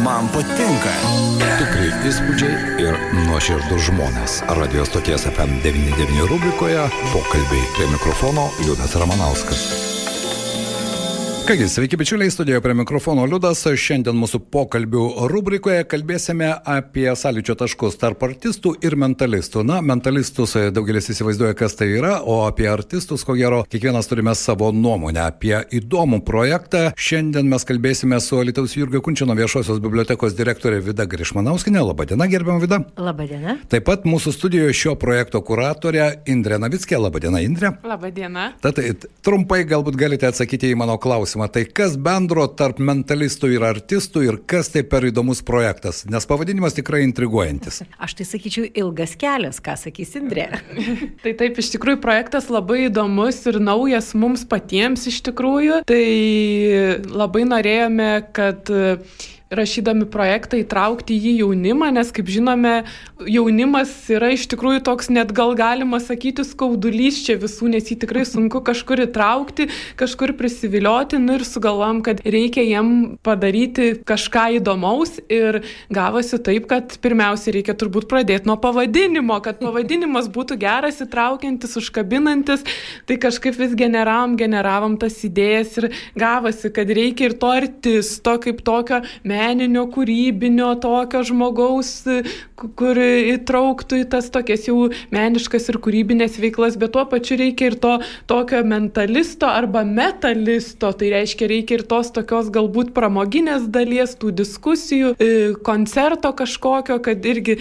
Man patinka. Tikrai įspūdžiai ir nuoširdus žmonės. Radio stoties FM 99 rubrikoje pokalbiai. Prie mikrofono Liudas Ramanauskas. Kągi, sveiki bičiuliai, studijoje prie mikrofono Liudas. Šiandien mūsų pokalbių rubrikoje kalbėsime apie sąlyčio taškus tarp artistų ir mentalistų. Na, mentalistus daugelis įsivaizduoja, kas tai yra, o apie artistus, ko gero, kiekvienas turime savo nuomonę. Apie įdomų projektą šiandien mes kalbėsime su Alytaus Jurgio Kunčino viešosios bibliotekos direktorė Vida Grišmanauskienė. Labadiena, gerbiama Vida. Labadiena. Taip pat mūsų studijoje šio projekto kuratorė Indrė Navickė. Labadiena, Indrė. Labadiena. Tad trumpai galbūt galite atsakyti į mano klausimą. Tai kas bendro tarp mentalistų ir artistų ir kas tai per įdomus projektas? Nes pavadinimas tikrai intriguojantis. Aš tai sakyčiau ilgas kelias, ką sakys Indrė. Tai taip, iš tikrųjų projektas labai įdomus ir naujas mums patiems iš tikrųjų. Tai labai norėjome, kad rašydami projektą įtraukti jį jaunimą, nes, kaip žinome, jaunimas yra iš tikrųjų toks net gal galima sakyti skaudulys čia visų, nes jį tikrai sunku kažkur įtraukti, kažkur prisivilioti, ir sugalvojom, kad reikia jiem padaryti kažką įdomaus ir gavosi taip, kad pirmiausia reikia turbūt pradėti nuo pavadinimo, kad pavadinimas būtų geras, įtraukiantis, užkabinantis, tai kažkaip vis generavom tas idėjas ir gavosi, kad reikia ir to artisto kaip tokio meninio, kūrybinio, tokio žmogaus, kur įtrauktų į tas tokias jau meniškas ir kūrybinės veiklas, bet tuo pačiu reikia ir to tokio mentalisto arba metalisto, tai reiškia reikia ir tos tokios galbūt pramoginės dalies, tų diskusijų, koncerto kažkokio, kad irgi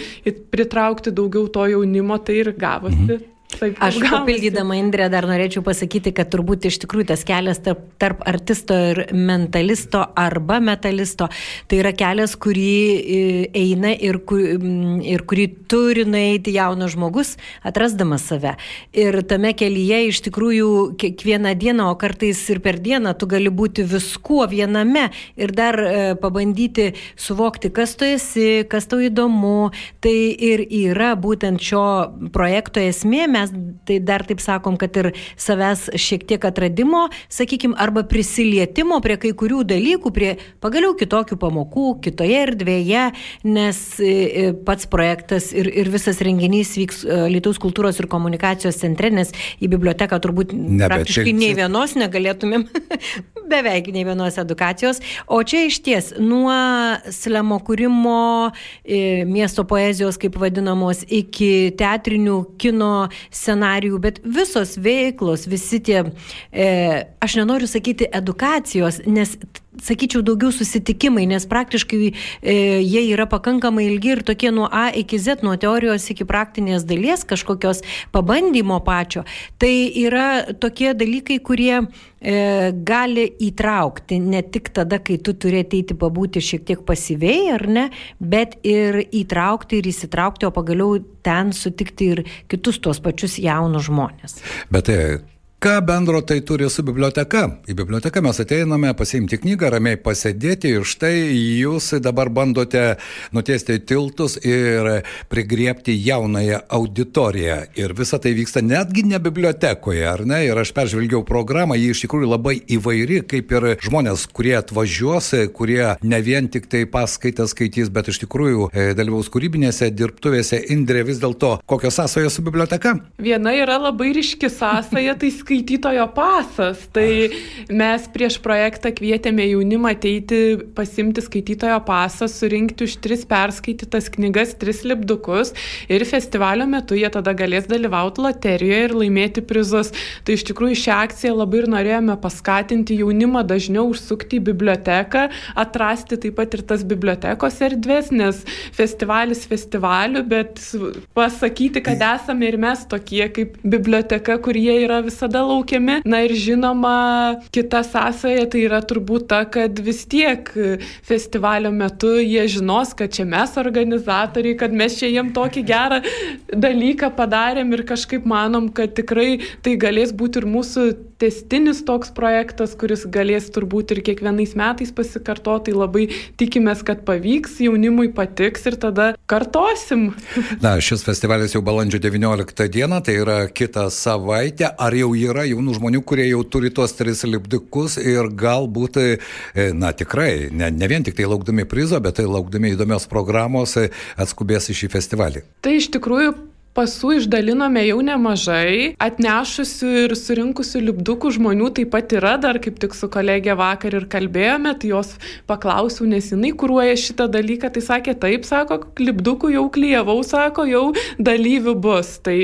pritraukti daugiau to jaunimo, tai ir gavosi. Taip, aš papildydama Indrę dar norėčiau pasakyti, kad turbūt iš tikrųjų tas kelias tarp artisto ir mentalisto arba metalisto, tai yra kelias, kurį eina ir kurį turi nueiti jaunas žmogus, atrasdamas save. Ir tame kelyje iš tikrųjų kiekvieną dieną, o kartais ir per dieną, tu gali būti viskuo viename ir dar pabandyti suvokti, kas tu esi, kas tau įdomu. Tai ir yra būtent šio projekto esmė. Mes tai dar taip sakom, kad ir savęs šiek tiek atradimo, sakykim, arba prisilietimo prie kai kurių dalykų, prie pagaliau kitokių pamokų, kitoje erdvėje, nes pats projektas ir visas renginys vyks Alytaus kultūros ir komunikacijos centre, nes į biblioteką turbūt praktiškai nei vienos negalėtumėm, beveik nei vienos edukacijos. O čia iš ties nuo slemo kūrimo, miesto poezijos, kaip vadinamos, iki teatrinių, kino scenarijų, bet visos veiklos, visi tie, aš nenoriu sakyti edukacijos, nes sakyčiau daugiau susitikimai, nes praktiškai jie yra pakankamai ilgi ir tokie nuo A iki Z, nuo teorijos iki praktinės dalies, kažkokios pabandymo pačio. Tai yra tokie dalykai, kurie gali įtraukti ne tik tada, kai tu turi ateiti pabūti šiek tiek pasyviai, ar ne, bet ir įtraukti ir įsitraukti, o pagaliau ten sutikti ir kitus tuos pačius jaunus žmonės. Bet ką bendro tai turi su biblioteka? Į biblioteką mes ateiname pasiimti knygą, ramiai pasėdėti ir štai jūs dabar bandote nutiesti tiltus ir prigriebti jaunąją auditoriją. Ir visa tai vyksta netgi ne bibliotekoje, ar ne? Ir aš peržvelgiau programą, ji iš tikrųjų labai įvairi, kaip ir žmonės, kurie atvažiuos, kurie ne vien tik tai paskaitas skaitys, bet iš tikrųjų dalyvaus kūrybinėse dirbtuvėse. Indrė, vis dėlto, kokios sąsajos su biblioteka? Viena yra labai ryški sąsaja, tai skaitytojo pasas. Tai mes prieš projektą kvietėme jaunimą ateiti, pasimti skaitytojo pasą, surinkti už 3 perskaitytas knygas, 3 lipdukus ir festivalio metu jie tada galės dalyvauti loterijoje ir laimėti prizus. Tai iš tikrųjų šią akciją labai ir norėjome paskatinti jaunimą dažniau užsukti į biblioteką, atrasti taip pat ir tas bibliotekos erdvės, nes festivalis festivaliu, bet pasakyti, kad esame ir mes tokie kaip biblioteka, kurie yra visada laukiami. Na ir žinoma, kita sąsaja tai yra turbūt ta, kad vis tiek festivalio metu jie žinos, kad čia mes organizatoriai, kad mes čia jiem tokį gerą dalyką padarėm ir kažkaip manom, kad tikrai tai galės būti ir mūsų tęstinis toks projektas, kuris galės turbūt ir kiekvienais metais pasikartoti, labai tikimės, kad pavyks, jaunimui patiks ir tada kartosim. Na, šis festivalis jau balandžio 19 dieną, tai yra kitą savaitę. Ar jau yra jaunų žmonių, kurie jau turi tuos 3 lipdukus ir galbūt, na tikrai, ne vien tik tai laukdami prizo, bet tai laukdami įdomios programos atskubės į šį festivalį? Tai iš tikrųjų pasų išdalinome jau nemažai, atnešusių ir surinkusių lipdukų žmonių taip pat yra, dar kaip tik su kolegė vakar ir kalbėjome, tai jos paklausiau, nes jinai kuruoja šitą dalyką, tai sakė taip, sako, lipdukų jau klijavau, sako, jau dalyvių bus. Tai...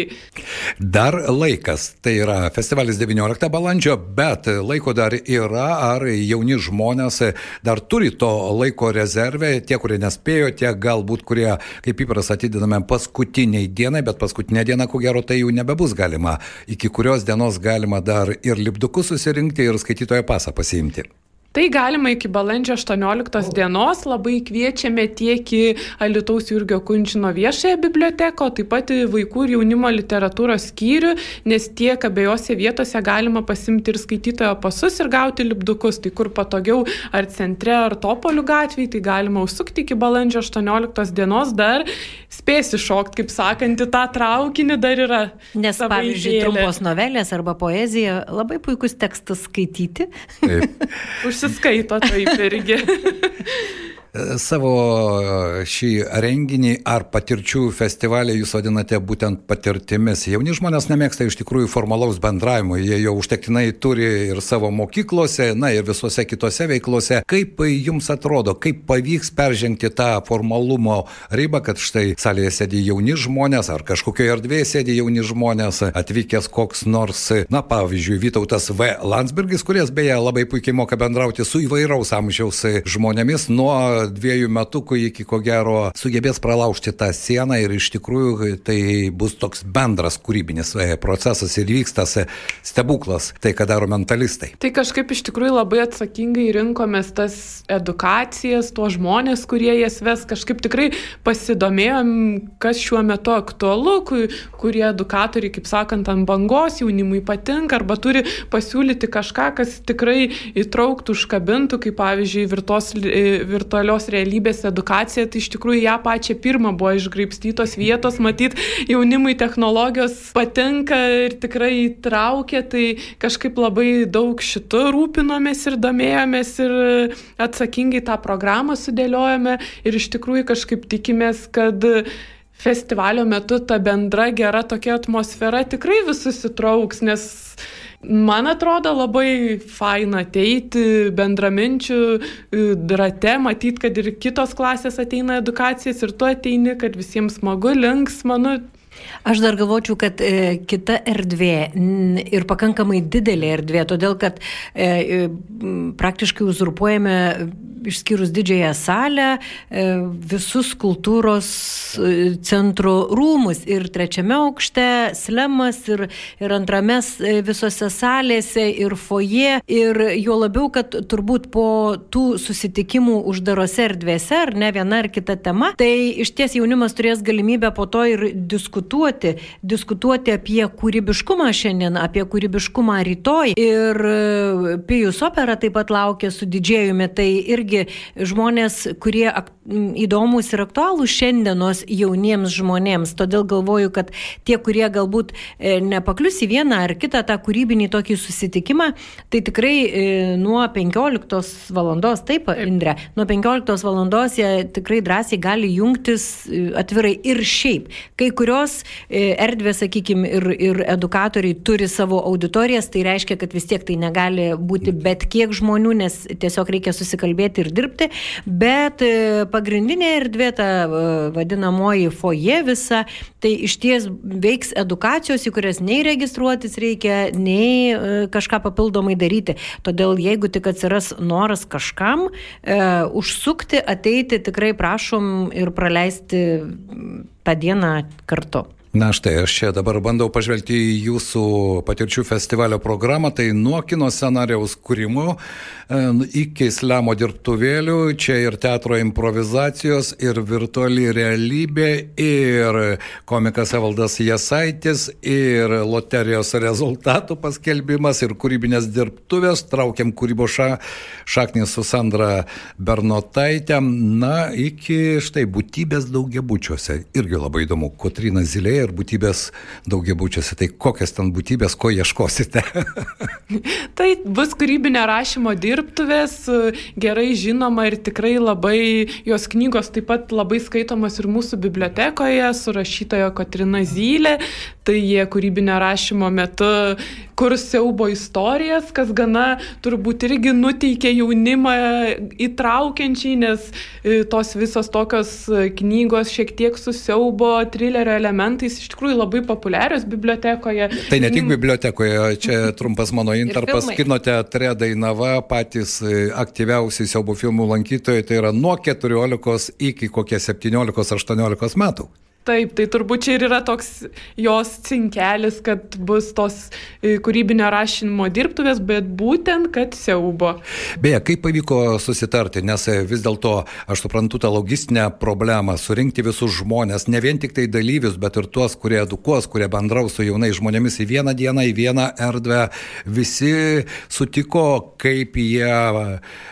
Dar laikas, tai yra festivalis 19 balandžio, bet laiko dar yra, ar jauni žmonės dar turi to laiko rezervę, tie, kurie nespėjo, tie galbūt, kurie, kaip įpras, atidedame paskutiniai dienai, bet paskutinę dieną, ko gero, tai jau nebebus galima. Iki kurios dienos galima dar ir lipdukus susirinkti, ir skaitytojo pasą pasiimti. Tai galima iki balandžio 18 dienos, labai kviečiame tiek į Alytaus Jurgio Kunčino viešąją biblioteką, taip pat į vaikų ir jaunimo literatūros skyrių, nes tiek abiejose vietose galima pasimti ir skaitytojo pasus ir gauti lipdukus. Tai kur patogiau, ar centre, ar Topolių gatvėje, tai galima užsukti iki balandžio 18 dienos, dar spėsi šokti, kaip sakant, į tą traukinį dar yra. Nes, pavyzdžiui, trumpos novelės arba poezija, labai puikus tekstas skaityti. Taip. Užsiskaito taip irgi. Savo šį renginį ar patirčių festivalį jūs vadinate būtent patirtimis. Jauni žmonės nemėgsta iš tikrųjų formalaus bendravimo, jie jau užtektinai turi ir savo mokyklose, na ir visose kitose veiklose. Kaip jums atrodo, kaip pavyks peržengti tą formalumo ribą, kad štai salėje sėdi jauni žmonės ar kažkokioje erdvėje sėdi jauni žmonės, atvykęs koks nors, na pavyzdžiui, Vytautas V. Landsbergis, kuris beje labai puikiai moka bendrauti su įvairaus amžiaus žmonėmis, nuo 2 metukų iki ko gero sugebės pralaužti tą sieną ir iš tikrųjų tai bus toks bendras kūrybinis procesas ir vykstas stebuklas, tai ką daro mentalistai. Tai kažkaip iš tikrųjų labai atsakingai rinkomės tas edukacijas, tuos žmonės, kurie jas ves, kažkaip tikrai pasidomėjom, kas šiuo metu aktualu, kurie edukatoriai, kaip sakant, ant bangos jaunimui patinka arba turi pasiūlyti kažką, kas tikrai įtrauktų, užkabintų, kaip pavyzdžiui virtualios realybės edukacija, tai iš tikrųjų ją pačią pirmą buvo išgraibstytos vietos, matyt, jaunimui technologijos patinka ir tikrai įtraukia, tai kažkaip labai daug šitų rūpinomės ir domėjomės ir atsakingai tą programą sudėliojome ir iš tikrųjų kažkaip tikimės, kad festivalio metu ta bendra gera tokia atmosfera tikrai visus įtrauks, nes man atrodo labai faina ateiti bendraminčių rate, matyti, kad ir kitos klasės ateina edukacijas ir tu ateini, kad visiems smagu, linksma. Aš dar galvočiau, kad kita erdvė ir pakankamai didelė erdvė, todėl kad praktiškai uzurpuojame, išskyrus didžiąją salę, visus kultūros centro rūmus ir 3 aukšte, slemas ir 2 visose salėse ir foje. Ir jo labiau, kad turbūt po tų susitikimų uždarose erdvėse, ar ne viena ar kita tema, tai iš ties jaunimas turės galimybę po to ir diskutuoti apie kūrybiškumą šiandien, apie kūrybiškumą rytoj. Ir Pijus opera taip pat laukia su didžėjumi, tai irgi žmonės, kurie įdomus ir aktualūs šiandienos jauniems žmonėms. Todėl galvoju, kad tie, kurie galbūt nepaklius į vieną ar kitą tą kūrybinį tokį susitikimą, tai tikrai nuo 15 valandos, taip, Indre, nuo 15 valandos jie tikrai drąsiai gali jungtis atvirai ir šiaip. Kai kurios erdvės, sakykime, ir edukatoriai turi savo auditorijas, tai reiškia, kad vis tiek tai negali būti bet kiek žmonių, nes tiesiog reikia susikalbėti ir dirbti, bet pagrindinė erdvė, ta vadinamoji foje visa, tai iš ties veiks edukacijos, į kurias nei registruotis reikia, nei kažką papildomai daryti. Todėl jeigu tik atsiras noras kažkam užsukti, ateiti, tikrai prašom ir praleisti tą dieną kartu. Na štai, aš čia dabar bandau pažvelgti į jūsų patirčių festivalio programą, tai nuo kino scenarijaus kūrimo iki slemo dirbtuvėlių, čia ir teatro improvizacijos, ir virtuali realybė, ir komikas Evaldas Jasaitis, ir loterijos rezultatų paskelbimas, ir kūrybinės dirbtuvės, traukiam kūrybos šaknis su Sandra Bernotaitė, na, iki štai būtybės daugiabučiuose. Irgi labai įdomu, Kotryna Zylė ir būtybės daugiabučiuose. Tai kokias ten būtybės, ko ieškosite? Tai bus kūrybinio rašymo dirbtuvės, gerai žinoma ir tikrai labai, jos knygos taip pat labai skaitomos ir mūsų bibliotekoje su rašytoja Kotryna Zylė. Tai jie kūrybinio rašymo metu kurs siaubo istorijas, kas gana turbūt irgi nuteikia jaunimą įtraukiančiai, nes tos visos tokios knygos šiek tiek su siaubo trilerio elementais iš tikrųjų labai populiarios bibliotekoje. Tai ne tik bibliotekoje, čia trumpas mano intarpas, kino teatre Dainava, patys aktyviausi siaubo filmų lankytojai, tai yra nuo 14 iki kokie 17-18 metų. Taip, tai turbūt čia ir yra toks jos cinkelis, kad bus tos kūrybinio rašymo dirbtuvės, bet būtent, kad siaubo. Beje, kaip pavyko susitarti, nes vis dėlto aš suprantu tą logistinę problemą, surinkti visus žmonės, ne vien tik tai dalyvius, bet ir tuos, kurie edukuos, kurie bendraus su jaunais žmonėmis į vieną dieną, į vieną erdvę. Visi sutiko, kaip jie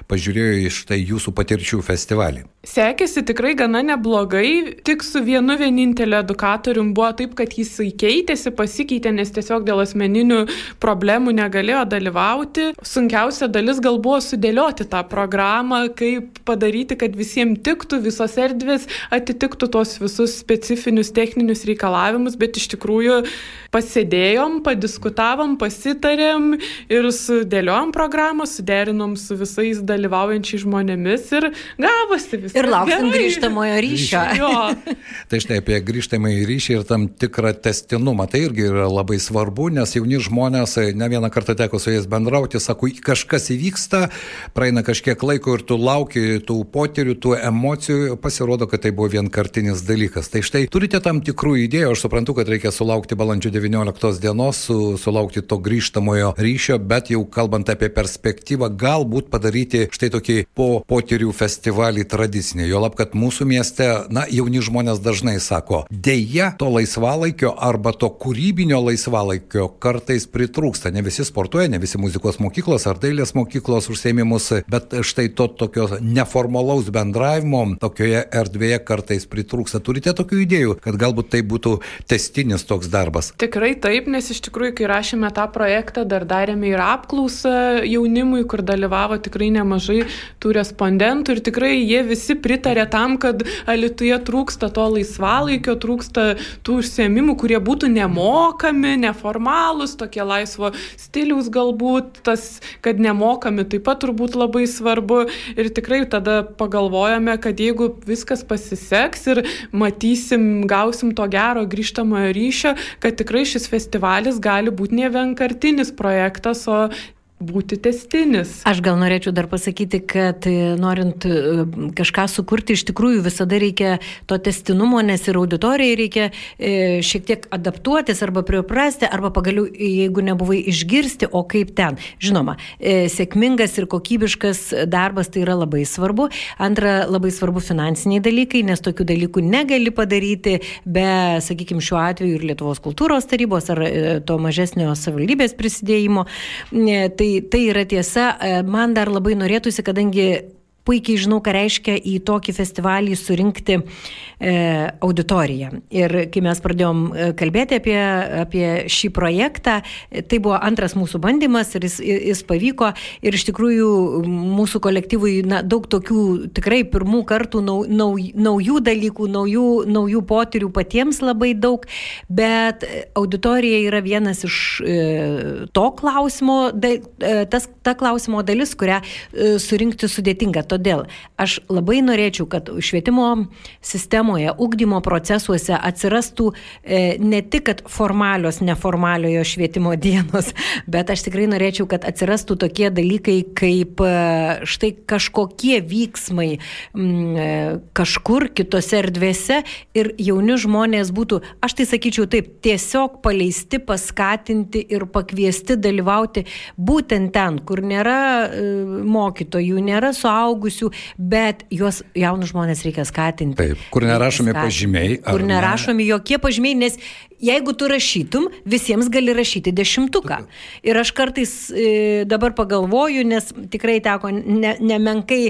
pažiūrėjo iš tai jūsų patirčių festivalį. Sekėsi tikrai gana neblogai, tik su vienu vieninteliu edukatorium buvo taip, kad jis keitėsi, pasikeitė, nes tiesiog dėl asmeninių problemų negalėjo dalyvauti. Sunkiausia dalis gal buvo sudėlioti tą programą, kaip padaryti, kad visiems tiktų, visos erdvės atitiktų tos visus specifinius techninius reikalavimus, bet iš tikrųjų pasėdėjom, padiskutavom, pasitarėm ir sudėliojom programą, suderinom su visais dalyvaujančiais žmonėmis ir gavosi viskas. Ir lauksim grįžtamojo ryšio. Tai štai apie grįžtamąjį ryšį ir tam tikrą testinumą. Tai irgi yra labai svarbu, nes jauni žmonės, ne vieną kartą teko su jais bendrauti, sako, kažkas įvyksta, praeina kažkiek laiko ir tu lauki tų potyrių, tų emocijų, pasirodo, kad tai buvo vienkartinis dalykas. Tai štai turite tam tikrų idėjų, aš suprantu, kad reikia sulaukti balandžio 19 dienos, sulaukti to grįžtamojo ryšio, bet jau kalbant apie perspektyvą, galbūt padaryti štai tokį potyrių festivalį tradicinį. Juolab, kad mūsų mieste, jauni žmonės dažnai sako, deja, to laisvalaikio arba to kūrybinio laisvalaikio kartais pritrūksta. Ne visi sportuoja, ne visi muzikos mokyklos ar dailės mokyklos užsiėmimus, bet štai to tokio neformalaus bendravimo tokioje erdvėje kartais pritrūksta. Turite tokių idėjų, kad galbūt tai būtų tęstinis toks darbas? Tikrai taip, nes iš tikrųjų, kai rašėme tą projektą, dar darėme ir apklausą jaunimui, kur dalyvavo tikrai nemažai tų respondentų ir tikrai jie visi pritarė tam, kad Alytuje trūksta to laisvalaikio, trūksta tų užsiėmimų, kurie būtų nemokami, neformalūs, tokie laisvo stiliaus galbūt, tas, kad nemokami taip pat turbūt labai svarbu ir tikrai tada pagalvojame, kad jeigu viskas pasiseks ir matysim, gausim to gero grįžtamojo ryšio, kad tikrai šis festivalis gali būti ne vienkartinis projektas, o būti tęstinis. Aš gal norėčiau dar pasakyti, kad norint kažką sukurti, iš tikrųjų visada reikia to tęstinumo, nes ir auditorijai reikia šiek tiek adaptuotis arba priprasti, arba pagaliau, jeigu nebuvai išgirsti, o kaip ten. Žinoma, sėkmingas ir kokybiškas darbas tai yra labai svarbu. Antra, labai svarbu finansiniai dalykai, nes tokių dalykų negali padaryti be, sakykime, šiuo atveju ir Lietuvos kultūros tarybos ar to mažesnio savivaldybės prisidėjimo. Tai yra tiesa. Man dar labai norėtųsi, kadangi puikiai žinau, ką reiškia į tokį festivalį surinkti auditoriją. Ir kai mes pradėjom kalbėti apie šį projektą, tai buvo antras mūsų bandymas ir jis pavyko. Ir iš tikrųjų mūsų kolektyvui daug tokių tikrai pirmų kartų naujų dalykų, naujų potyrių patiems labai daug, bet auditorija yra vienas iš to klausimo, ta klausimo dalis, kurią surinkti sudėtinga. todėl aš labai norėčiau, kad švietimo sistemoje, ugdymo procesuose atsirastų ne tik kad formalios, neformaliojo švietimo dienos, bet aš tikrai norėčiau, kad atsirastų tokie dalykai kaip štai kažkokie vyksmai kažkur kitose erdvėse ir jauni žmonės būtų, aš tai sakyčiau taip, tiesiog paleisti, paskatinti ir pakviesti dalyvauti būtent ten, kur nėra mokytojų, nėra suaugusių, bet juos jaunus žmonės reikia skatinti. Taip, kur nerašomi pažymiai. Kur nerašomi jokie pažymiai, nes jeigu tu rašytum, visiems gali rašyti 10. Ir aš kartais dabar pagalvoju, nes tikrai teko nemenkai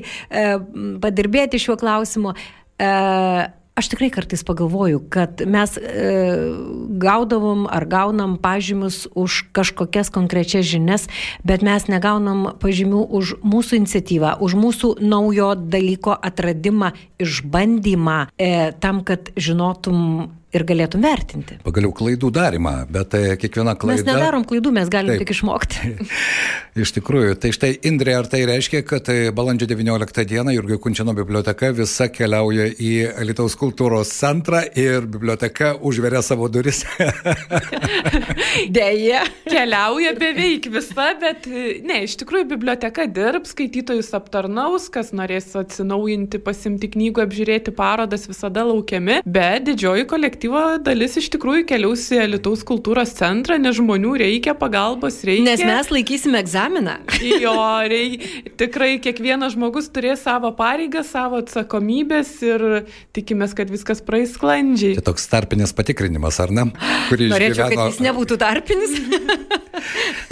padirbėti šiuo klausimu, aš tikrai kartais pagalvoju, kad mes gaudavom ar gaunam pažymius už kažkokias konkrečias žinias, bet mes negaunam pažymių už mūsų iniciatyvą, už mūsų naujo dalyko atradimą, išbandymą, tam, kad žinotum ir galėtum vertinti. Pagaliau klaidų darimą, bet kiekviena klaida... Mes nedarom klaidų, mes galim tik išmokti. Iš tikrųjų, tai štai Indrė, ar tai reiškia, kad balandžio 19 dieną Jurgio Kunčino biblioteka visa keliauja į Alytaus kultūros centrą ir biblioteka užveria savo duris? Deja, keliauja beveik visa, bet ne, iš tikrųjų biblioteka dirbs, skaitytojus aptarnaus, kas norės atsinaujinti, pasimti knygų, apžiūrėti parodas, visada laukiami, bet didžioji kolektyva dalis iš tikrųjų keliaus į Alytaus kultūros centrą, nes žmonių reikia, pagalbos reikia. Nes mes laikysime egzaminą. Jo, tikrai kiekvienas žmogus turės savo pareigą, savo atsakomybės ir tikimės, kad viskas praeis sklandžiai. Tai toks tarpinis patikrinimas, ar ne? Norėčiau, kad jis nebūtų tarpinis.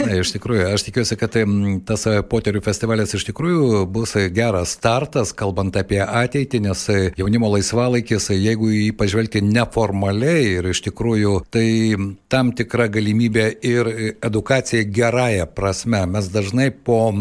Na, iš tikrųjų, aš tikiuosi, kad tas poterių festivalis iš tikrųjų bus geras startas, kalbant apie ateitį, nes jaunimo laisvalaikis, jeigu jį pažvelgti neformaliai ir iš tikrųjų tai tam tikra galimybė ir edukacija gerąją prasme. Mes dažnai po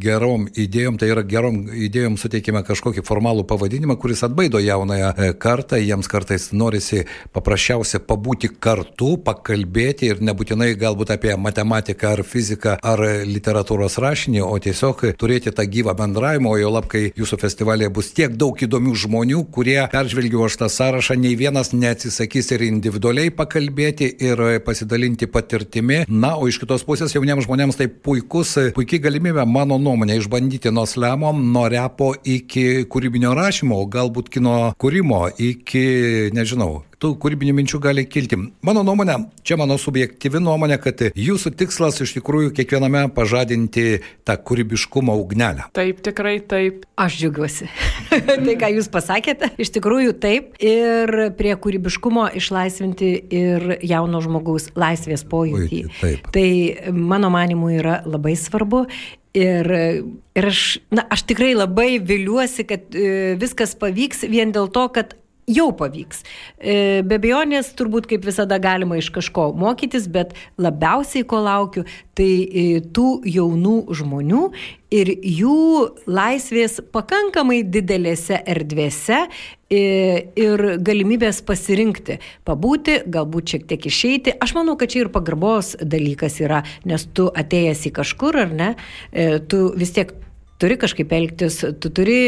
gerom idėjom, tai yra gerom idėjom suteikime kažkokį formalų pavadinimą, kuris atbaido jaunąją kartą, jiems kartais norisi paprasčiausiai pabūti kartu, pakalbėti ir nebūtinai galbūt apie matematiką ar fiziką ar literatūros rašinį, o tiesiog turėti tą gyvą bendravimą, o jau lab, kai jūsų festivalėje bus tiek daug įdomių žmonių, kurie peržvelgiu aš tą sąrašą, nei vienas neatsisakys ir individualiai pakalbėti ir pasidalinti patirtimi. Na, o iš kitos pusės jauniems žmonėms tai puikiai galimybė, mano nuomonė, išbandyti nuo slemo, nuo repo iki kūrybinio rašymo, galbūt kino kūrimo, iki, nežinau, tų kūrybinių minčių gali kilti. Mano nuomonė, čia mano subjektyvi nuomonė, kad jūsų tikslas iš tikrųjų kiekviename pažadinti tą kūrybiškumo ugnelę. Taip, tikrai taip. Aš džiaugiuosi. Tai, ką jūs pasakėte, iš tikrųjų taip. Ir prie kūrybiškumo išlaisvinti ir jauno žmogaus laisvės pojūtį. Tai mano manimu yra labai svarbu. Ir aš tikrai labai viliuosi, kad viskas pavyks vien dėl to, kad jau pavyks. Be abejonės, turbūt kaip visada galima iš kažko mokytis, bet labiausiai ko laukiu, tai tų jaunų žmonių ir jų laisvės pakankamai didelėse erdvėse ir galimybės pasirinkti, pabūti, galbūt šiek tiek išeiti. Aš manau, kad čia ir pagarbos dalykas yra, nes tu atėjęs į kažkur, ar ne, tu vis tiek turi kažkaip elgtis, tu turi,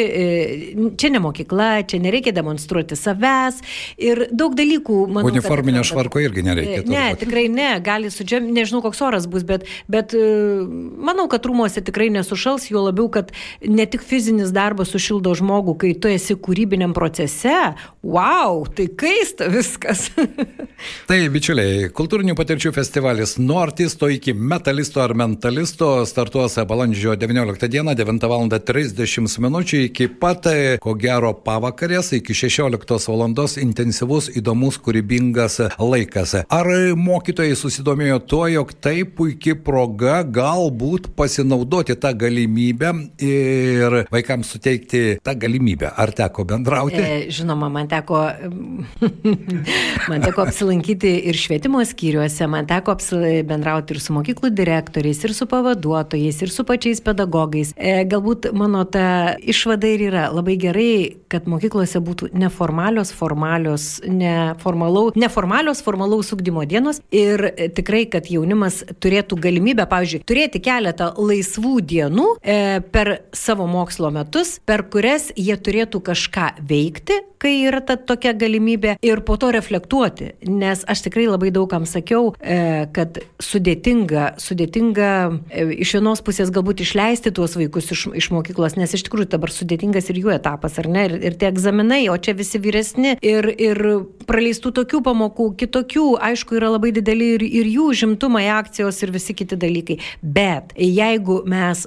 čia ne mokykla, čia nereikia demonstruoti savęs ir daug dalykų, manau, uniforminio švarko irgi nereikia. Ne, tikrai ne, gali nežinau, koks oras bus, bet manau, kad rūmuose tikrai nesušals, juo labiau, kad ne tik fizinis darbas sušildo žmogų, kai tu esi kūrybiniam procese, wow, tai kaista viskas. Tai, bičiuliai, kultūrinių patirčių festivalis nuo artisto iki metalisto ar mentalisto startuos balandžio 19 dieną, 9:30 minučių iki pat, ko gero, pavakarės, iki 16 valandos intensyvus, įdomus, kūrybingas laikas. Ar mokytojai susidomėjo tuo, jog tai puikia proga galbūt pasinaudoti tą galimybę ir vaikams suteikti tą galimybę? Ar teko bendrauti? Žinoma, man teko apsilankyti ir švietimo skyriuose, man teko bendrauti ir su mokyklų direktoriais, ir su pavaduotojais, ir su pačiais pedagogais. galbūt mano ta išvada ir yra labai gerai, kad mokyklose būtų neformalios, formalaus ugdymo dienos ir tikrai, kad jaunimas turėtų galimybę, pavyzdžiui, turėti keletą laisvų dienų per savo mokslo metus, per kurias jie turėtų kažką veikti, kai yra ta tokia galimybė ir po to reflektuoti. Nes aš tikrai labai daugam sakiau, kad sudėtinga iš vienos pusės galbūt išleisti tuos vaikus iš mokyklos, nes iš tikrųjų dabar sudėtingas ir jų etapas, ar ne? Ir tie egzaminai, o čia visi vyresni ir praleistų tokių pamokų, kitokių, aišku, yra labai dideli ir jų žimtumai, akcijos ir visi kiti dalykai. Bet jeigu mes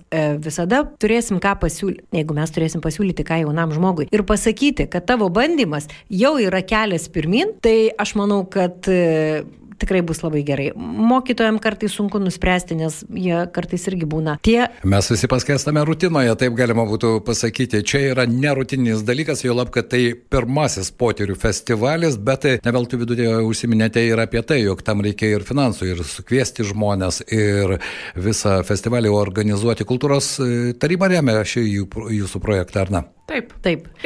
visada turėsim ką pasiūlyti, jeigu mes turėsim pasiūlyti ką jaunam žmogui ir pasakyti, kad tavo bandymas jau yra kelias pirmin, tai aš manau, kad tikrai bus labai gerai. Mokytojams kartais sunku nuspręsti, nes jie kartais irgi būna tie. Mes visi paskęstame rutinoje, taip galima būtų pasakyti. Čia yra nerutininis dalykas, jau lab, kad tai pirmasis potyrių festivalis, bet ne veltui viduje užsiminėte ir apie tai, jog tam reikia ir finansų, ir sukviesti žmonės, ir visą festivalį organizuoti. Kultūros taryba remia šį jūsų projektą, ar ne? Taip.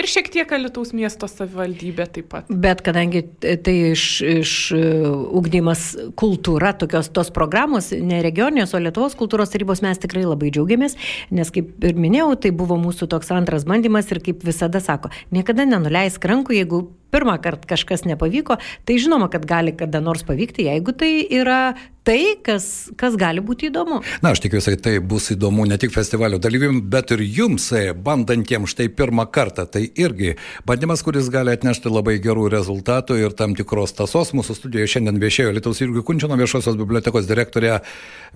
Ir šiek tiek Alytaus miesto savivaldybė taip pat. Bet kadangi tai iš ugdymas kultūra, tos programos, ne regioninės, o Lietuvos kultūros tarybos, mes tikrai labai džiaugiamės, nes kaip ir minėjau, tai buvo mūsų toks antras bandymas ir kaip visada sako, niekada nenuleisk rankų, jeigu pirmą kartą kažkas nepavyko, tai žinoma, kad gali kada nors pavykti, jeigu tai yra tai, kas gali būti įdomu. Na, aš tikiuosi, tai bus įdomu ne tik festivalio dalyviams, bet ir jums, bandantiems štai pirmą kartą. Tai irgi bandymas, kuris gali atnešti labai gerų rezultatų ir tam tikros tąsos. Mūsų studijoje šiandien viešėjo Alytaus Jurgio Kunčino viešosios bibliotekos direktorė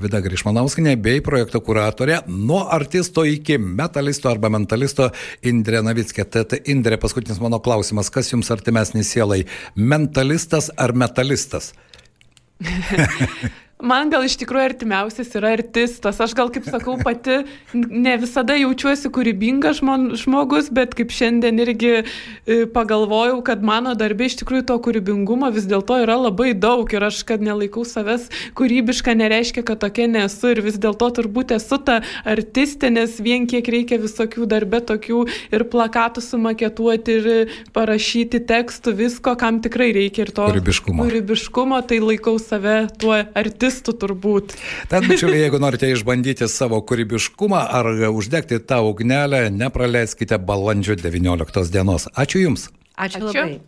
Vida Grišmanauskienė bei projekto kuratorė nuo artisto iki metalisto arba mentalisto Indrė Navickė. Tad Indrė, paskutinis mano klausimas, kas jums artimesnis sielai, mentalistas ar metalistas? Man gal iš tikrųjų artimiausias yra artistas. Aš gal, kaip sakau, pati ne visada jaučiuosi kūrybingas žmogus, bet kaip šiandien irgi pagalvojau, kad mano darbė iš tikrųjų to kūrybingumo vis dėlto yra labai daug ir aš, kad nelaikau savęs kūrybiška, nereiškia, kad tokia nesu ir vis dėlto turbūt esu ta artistė, nes vien kiek reikia visokių darbė tokių ir plakatų sumaketuoti ir parašyti tekstų, visko, kam tikrai reikia ir to kūrybiškumo, tai laikau save tuo artistu turbūt. Tad, bičiuliai, jeigu norite išbandyti savo kūrybiškumą ar uždegti tą ugnelę, nepraleiskite balandžio 19 dienos. Ačiū Jums. Ačiū labai.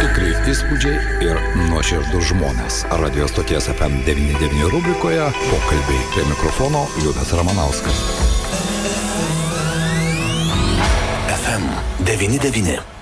Tikrai įspūdžiai ir nuoširdus žmonės. Radio stoties FM 99 rubrikoje pokalbiai. Prie mikrofono Liudas Ramanauskas. FM 99.